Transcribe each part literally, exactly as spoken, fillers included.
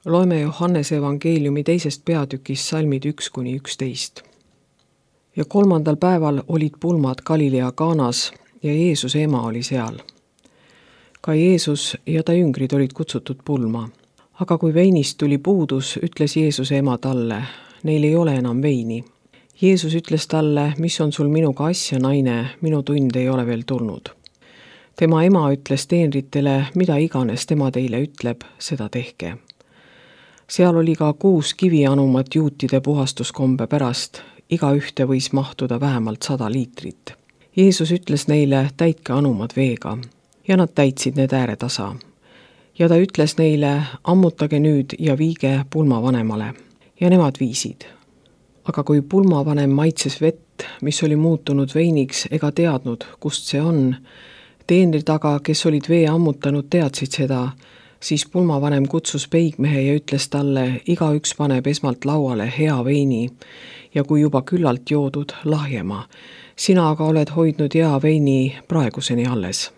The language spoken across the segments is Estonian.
Loeme Johannese evangeeliumi teisest peatükist salmid üks kuni üksteist. Ja kolmandal päeval olid pulmad Galilea Kaanas ja Jeesuse ema oli seal. Ka Jeesus ja ta jüngrid olid kutsutud pulma. Aga kui veinist tuli puudus, ütles Jeesuse ema talle, neil ei ole enam veini. Jeesus ütles talle, mis on sul minuga asja, naine, minu tund ei ole veel tulnud. Tema ema ütles teenritele, mida iganes tema teile ütleb, seda tehke. Seal oli ka kuus kivianumat juutide puhastuskombe pärast, iga ühte võis mahtuda vähemalt sada liitrit. Jeesus ütles neile, täitke anumad veega, ja nad täitsid need ääretasa. Ja ta ütles neile, ammutage nüüd ja viige pulmavanemale, ja nemad viisid. Aga kui pulmavanem maitses vett, mis oli muutunud veiniks ega teadnud, kust see on, teenrid aga, kes olid vee ammutanud, teadsid seda, siis pulmavanem kutsus peigmehe ja ütles talle, igaüks paneb esmalt lauale hea veini ja kui juba küllalt joodud, lahjema. Sina aga oled hoidnud hea veini praeguseni alles.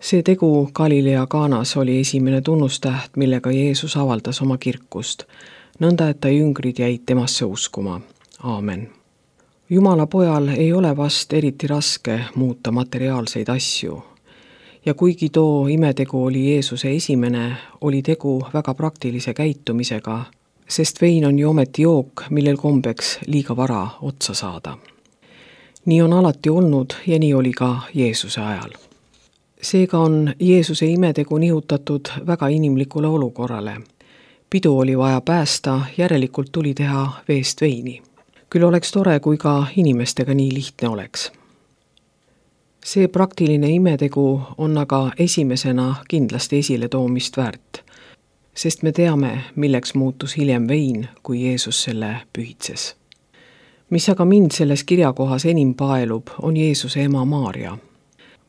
See tegu Galilea Kaanas oli esimene tunnustäht, millega Jeesus avaldas oma kirkust, nõnda et ta jüngrid jäid temasse uskuma. Aamen. Jumala pojal ei ole vast eriti raske muuta materiaalseid asju. Ja kuigi too imetegu oli Jeesuse esimene, oli tegu väga praktilise käitumisega, sest vein on ju ometi jook, millel kombeks liiga vara otsa saada. Nii on alati olnud ja nii oli ka Jeesuse ajal. Seega on Jeesuse imetegu nihutatud väga inimlikule olukorrale. Pidu oli vaja päästa, järelikult tuli teha veest veini. Küll oleks tore, kui ka inimestega nii lihtne oleks. See praktiline imetegu on aga esimesena kindlasti esile toomist väärt, sest me teame, milleks muutus hiljem vein, kui Jeesus selle pühitses. Mis aga mind selles kirjakohas enim paelub, on Jeesuse ema Maarja.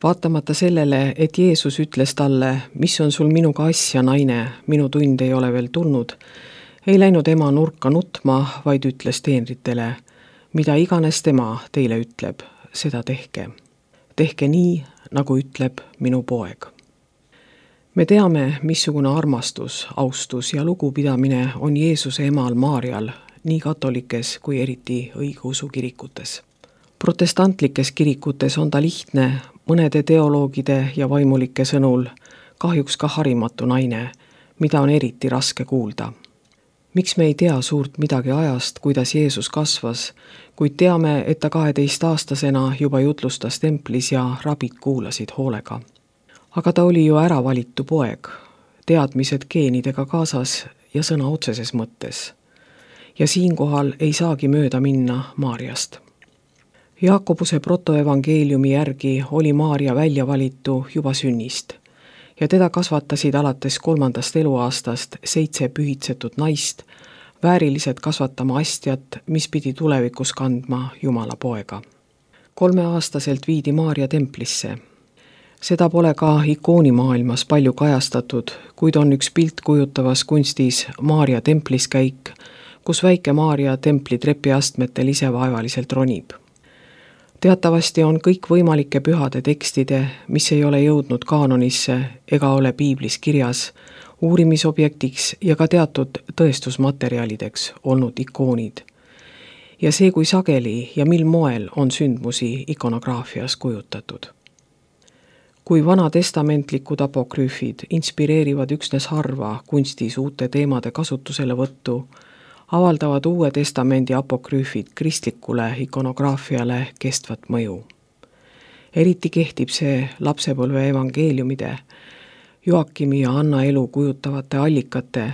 Vaatamata sellele, et Jeesus ütles talle, mis on sul minuga asja, naine, minu tund ei ole veel tulnud, ei läinud ema nurka nutma, vaid ütles teenritele, mida iganes tema teile ütleb, seda tehke. Tehke nii, nagu ütleb minu poeg. Me teame, missugune armastus, austus ja lugupidamine on Jeesuse emal Maarjal, nii katolikes kui eriti õigeusu kirikutes. Protestantlikes kirikutes on ta lihtne, mõnede teoloogide ja vaimulike sõnul kahjuks ka harimatu naine, mida on eriti raske kuulda. Miks me ei tea suurt midagi ajast, kuidas Jeesus kasvas, kuid teame, et ta kaheteistaastasena juba jutlustas templis ja rabid kuulasid hoolega. Aga ta oli ju ära valitu poeg, teadmised geenidega kaasas ja sõna otseses mõttes. Ja siinkohal ei saagi mööda minna Maarjast. Jaakobuse protoevangeeliumi järgi oli Maarja välja valitu juba sünnist ja teda kasvatasid alates kolmandast eluaastast seitse pühitsetud naist, vääriliselt kasvatama astjat, mis pidi tulevikus kandma Jumala poega. Kolmeaastaselt viidi Maarja templisse. Seda pole ka ikoonimaailmas palju kajastatud, kuid on üks pilt kujutavas kunstis Maarja templiskäik, kus väike Maarja templi trepiastmetel ise vaevaliselt ronib. Teatavasti on kõik võimalike pühade tekstide, mis ei ole jõudnud kaanonisse ega ole piiblis kirjas, uurimisobjektiks ja ka teatud tõestusmaterjalideks olnud ikoonid. Ja see, kui sageli ja mil moel on sündmusi ikonograafias kujutatud. Kui vanatestamentlikud apokrüüfid inspireerivad üksnes harva kunstis uute teemade kasutusele võttu, avaldavad Uue Testamendi apokrüüfid kristlikule ikonograafiale kestvat mõju. Eriti kehtib see lapsepõlve evangeeliumide, Joakimi ja Anna elu kujutavate allikate,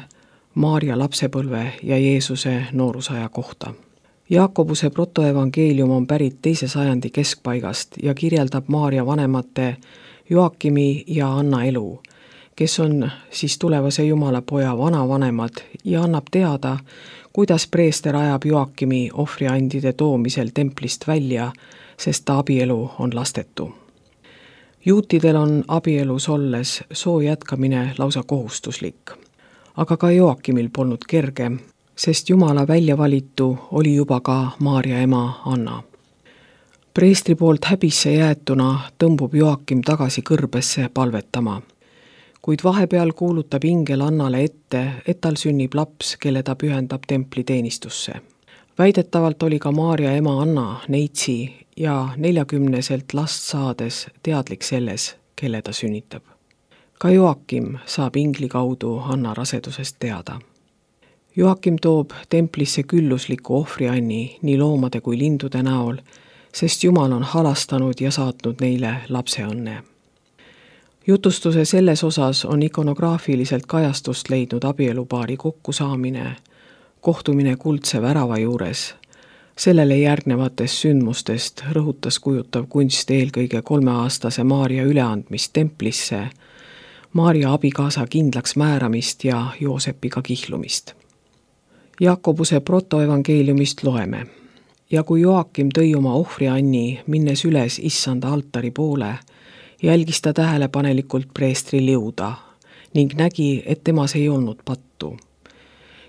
Maarja lapsepõlve ja Jeesuse noorusaja kohta. Jaakobuse protoevangeelium on pärit teise sajandi keskpaigast ja kirjeldab Maarja vanemate Joakimi ja Anna elu, kes on siis tulevase Jumala poja vanavanemad ja annab teada, kuidas preester ajab Joakimi ohvriandide toomisel templist välja, sest ta abielu on lastetu. Juutidel on abielus olles soo jätkamine lausa kohustuslik, aga ka Joakimil polnud kerge, sest Jumala välja valitu oli juba ka Maarja ema Anna. Preestri poolt häbisse jäetuna tõmbub Joakim tagasi kõrbesse palvetama. kuid vahepeal kuulutab ingel Annale ette, et tal sünnib laps, kelle ta pühendab templi teenistusse. Väidetavalt oli ka Maarja ema Anna neitsi ja neljakümneselt last saades teadlik selles, kelle ta sünnitab. Ka Joakim saab ingli kaudu Anna rasedusest teada. Joakim toob templisse küllusliku ohvrianni nii loomade kui lindude näol, sest Jumal on halastanud ja saatnud neile lapseõnne. Jutustuse selles osas on ikonograafiliselt kajastust leidnud abielupaari kokkusaamine, kohtumine kuldse värava juures. Sellele järgnevatest sündmustest rõhutas kujutav kunst eelkõige kolmeaastase Maarja üleandmist templisse, Maarja abikaasa kindlaks määramist ja Joosepiga kihlumist. Jakobuse protoevangeeliumist loeme. Ja kui Joakim tõi oma ohvrianni, minnes üles issanda altari poole, jälgis ta tähelepanelikult preestri liuda ning nägi, et temas ei olnud pattu.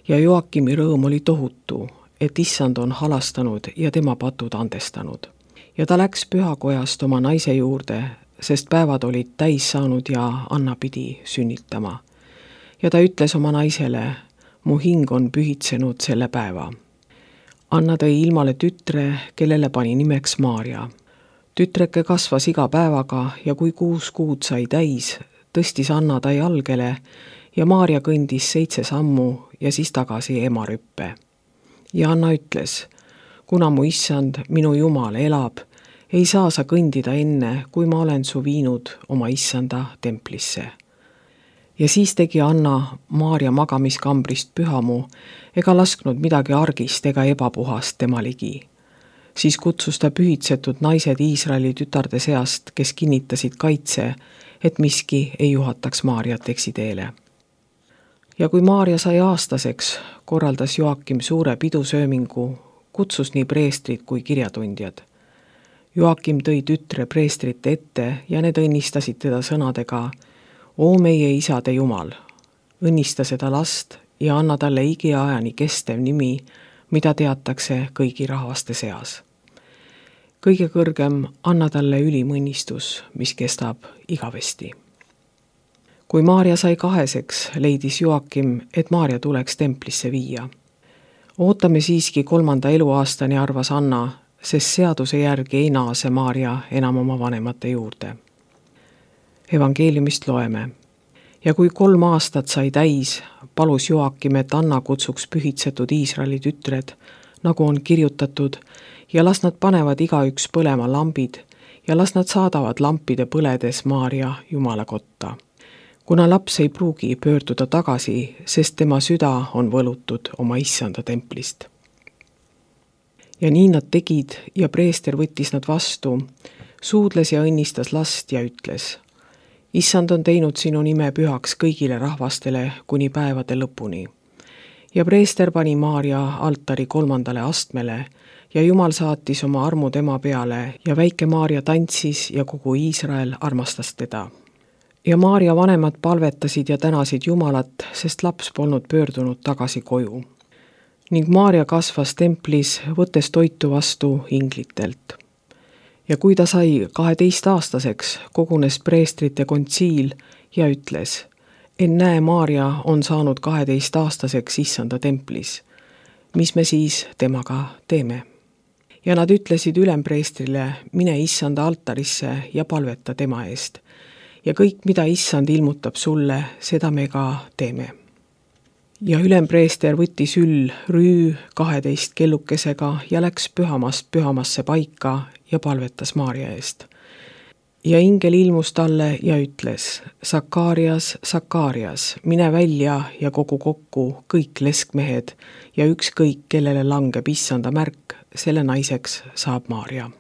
Ja Joakimi rõõm oli tohutu, et issand on halastanud ja tema patud andestanud. Ja ta läks pühakojast oma naise juurde, sest päevad olid täis saanud ja Anna pidi sünnitama. Ja ta ütles oma naisele, mu hing on pühitsenud selle päeva. Anna tõi ilmale tütre, kellele pani nimeks Maarja. Tütreke kasvas iga päevaga ja kui kuus kuud sai täis, tõstis Anna ta jalgele ja Maarja kõndis seitse sammu ja siis tagasi ema rüppe. Ja Anna ütles, kuna mu issand, minu Jumal elab, ei saa sa kõndida enne, kui ma olen su viinud oma issanda templisse. Ja siis tegi Anna Maarja magamiskambrist pühamu ega lasknud midagi argist ega ebapuhast tema ligi. Siis kutsus ta pühitsetud naised Iisraeli tütarde seast, kes kinnitasid kaitse, et miski ei juhataks Maarjat eksiteele. Ja kui Maarja sai aastaseks, korraldas Joakim suure pidusöömingu, kutsus nii preestrid kui kirjatundjad. Joakim tõi tütre preestrite ette ja need õnnistasid teda sõnadega, O meie isade Jumal, õnnista seda last ja anna talle igiajani kestev nimi, mida teatakse kõigi rahvaste seas. Kõige kõrgem anna talle ülim õnnistus, mis kestab igavesti. Kui Maarja sai kaheseks, leidis Joakim, et Maarja tuleks templisse viia. Ootame siiski kolmanda eluaastani, arvas Anna, sest seaduse järgi ei naase Maarja enam oma vanemate juurde. Evangeeliumist loeme. Ja kui kolm aastat sai täis, palus Joakim, et Anna kutsuks pühitsetud Iisraeli tütred, nagu on kirjutatud, ja las nad panevad igaüks põlema lambid ja las nad saadavad lampide põledes Maarja Jumala kotta. Kuna laps ei pruugi pöörduda tagasi, sest tema süda on võlutud oma issanda templist. Ja nii nad tegid ja preester võttis nad vastu, suudles ja õnnistas last ja ütles, issand on teinud sinu nime pühaks kõigile rahvastele kuni päevade lõpuni. Ja preester pani Maarja altari kolmandale astmele ja Jumal saatis oma armu tema peale ja väike Maarja tantsis ja kogu Iisrael armastas teda. Ja Maarja vanemad palvetasid ja tänasid Jumalat, sest laps polnud pöördunud tagasi koju. Ning Maarja kasvas templis, võttes toitu vastu inglitelt. Ja kui ta sai kaheteist aastaseks, kogunes preestrite kontsiil ja ütles, ennäe Maarja on saanud kaheteist aastaseks issanda templis. Mis me siis temaga teeme? Ja nad ütlesid ülempreestrile, mine issanda altarisse ja palveta tema eest. Ja kõik, mida issand ilmutab sulle, seda me ka teeme. Ja ülempreester võttis üll rüü kaheteist kellukesega ja läks pühamast pühamasse paika ja palvetas Maarja eest. Ja ingel ilmus talle ja ütles, Sakarias, Sakarias, mine välja ja kogu kokku kõik leskmehed ja ükskõik, kellele langeb issanda märk, selle naiseks saab Maarja.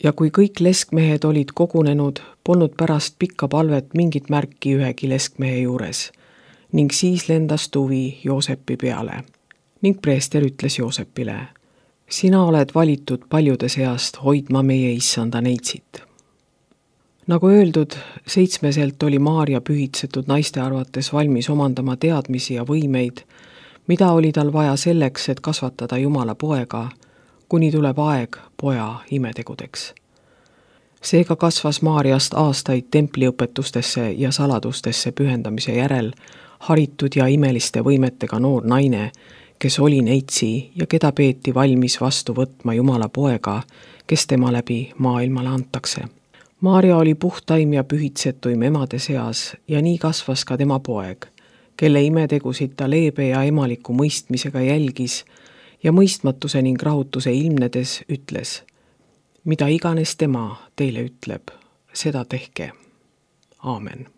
Ja kui kõik leskmehed olid kogunenud, polnud pärast pikka palvet mingit märki ühegi leskmehe juures, ning siis lendas tuvi Joosepi peale. Ning preester ütles Joosepile, sina oled valitud paljude seast hoidma meie issanda neitsit. Nagu öeldud, seitsmeselt oli Maarja pühitsetud naiste arvates valmis omandama teadmisi ja võimeid, mida oli tal vaja selleks, et kasvatada Jumala poega, kuni tuleb aeg poja imetegudeks. Seega kasvas Maarjast aastaid templiõpetustesse ja saladustesse pühendamise järel haritud ja imeliste võimetega noor naine, kes oli neitsi ja keda peeti valmis vastu võtma Jumala poega, kes tema läbi maailmale antakse. Maarja oli puhtaim ja pühitsetuim emade seas ja nii kasvas ka tema poeg, kelle imetegusid ta leebe ja emaliku mõistmisega jälgis ja mõistmatuse ning rahutuse ilmnedes ütles: mida iganes tema teile ütleb, seda tehke. Aamen.